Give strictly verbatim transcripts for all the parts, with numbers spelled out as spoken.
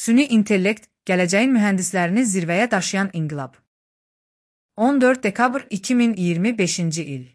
Süni intellekt, gələcəyin mühəndislərini zirvəyə daşıyan inqilab. on dörd dekabr iki min iyirmi beşinci il.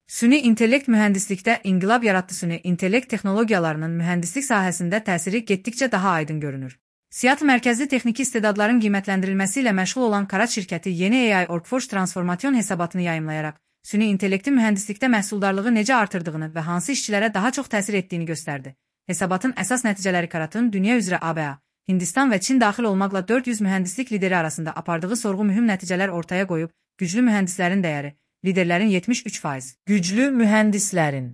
Süni intellekt mühəndislikdə inqilab yaratdı. Süni intellekt texnologiyalarının mühəndislik sahəsində təsiri getdikcə daha aydın görünür. Seattle mərkəzli texniki istedadların qiymətləndirilməsi ilə məşğul olan Karat şirkəti yeni A I Workforce transformasyon hesabatını yayımlayaraq, süni intellektin mühəndislikdə məhsuldarlığı necə artırdığını və hansı işçilərə daha çox təsir etdiyini göstərdi. Hesabatın əsas nəticələri Karatın dünya üzrə A B A, Hindistan və Çin daxil olmaqla dörd yüz mühəndislik lideri arasında apardığı sorğu mühüm nəticələr ortaya qoyub, güclü mühəndislərin dəyəri, liderlərin yetmiş üç faiz, güclü mühəndislərin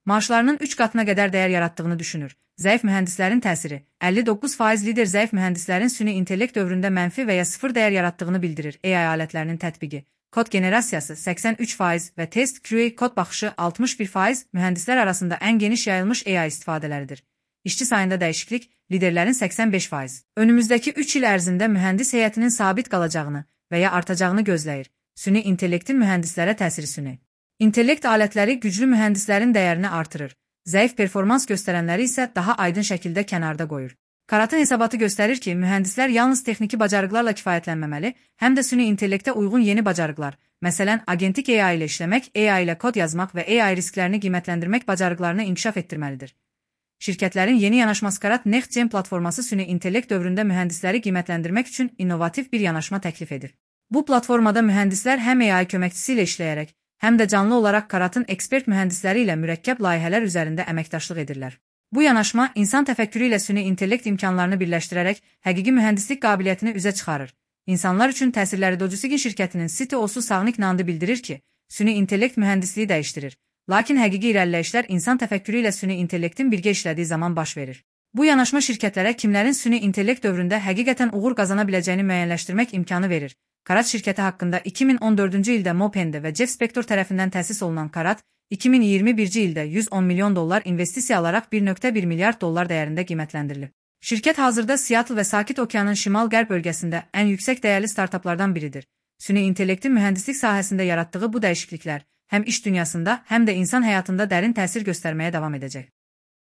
maaşlarının üç qatına qədər dəyər yaratdığını düşünür. Zəif mühəndislərin təsiri, əlli doqquz faiz lider zəif mühəndislərin süni intellekt dövründə mənfi və ya sıfır dəyər yaratdığını bildirir. A I alətlərinin tətbiqi, kod generasiyası səksən üç faiz və test Q A kod baxışı altmış bir faiz mühəndislər arasında ən geniş yayılmış A I istifadələridir. İşçi sayında dəyişiklik, liderlərin səksən beş faiz. Önümüzdəki üç il ərzində mühəndis heyətinin sabit qalacağını və ya artacağını gözləyir. Süni intellektin mühəndislərə təsiri. Süni intellekt alətləri güclü mühəndislərin dəyərini artırır. Zəif performans göstərənləri isə daha aydın şəkildə kənarda qoyur. Karatın hesabatı göstərir ki, mühəndislər yalnız texniki bacarıqlarla kifayətlənməməli, həm də süni intellektə uyğun yeni bacarıqlar, məsələn, agentik A I ilə işləmək, A I ilə kod yazmaq və A I risklərini qiymətləndirmək bacarıqlarını inkişaf etdirməlidir. Şirkətlərin yeni yanaşması Karat Next Gen platforması süni intellekt dövründə mühəndisləri qiymətləndirmək üçün innovativ bir yanaşma təklif edir. Bu platformada mühəndislər həm A I köməkçisi ilə işləyərək, həm də canlı olaraq Karatın ekspert mühəndisləri ilə mürəkkəb layihələr üzərində əməkdaşlıq edirlər. Bu yanaşma insan təfəkkürü ilə süni intellekt imkanlarını birləşdirərək həqiqi mühəndislik qabiliyyətini üzə çıxarır. İnsanlar üçün təsirləri Dojusigin şirkətinin C T O-su Savnik Nandi bildirir ki, süni intellekt mühəndisliyi dəyişdirir. Lakin həqiqi irəliləyişlər insan təfəkkürü ilə süni intellektin birgə işlədiyi zaman baş verir. Bu yanaşma şirkətlərə kimlərin süni intellekt dövründə həqiqətən uğur qazana biləcəyini müəyyənləşdirmək imkanı verir. Karat şirkəti haqqında iki min on dördüncü ildə Mopende və Jeff Spector tərəfindən təsis olunan Karat, iki min iyirmi birinci ildə yüz on milyon dollar investisiya alaraq bir nöqtə bir milyard dollar dəyərində qiymətləndirilib. Şirkət hazırda Seattle və Sakit Okeanın şimal-qərb bölgəsində ən yüksək dəyərli startaplardan biridir. Süni intellektin mühəndislik sahəsində yaratdığı bu dəyişikliklər həm iş dünyasında, həm də insan həyatında dərin təsir göstərməyə davam edəcək.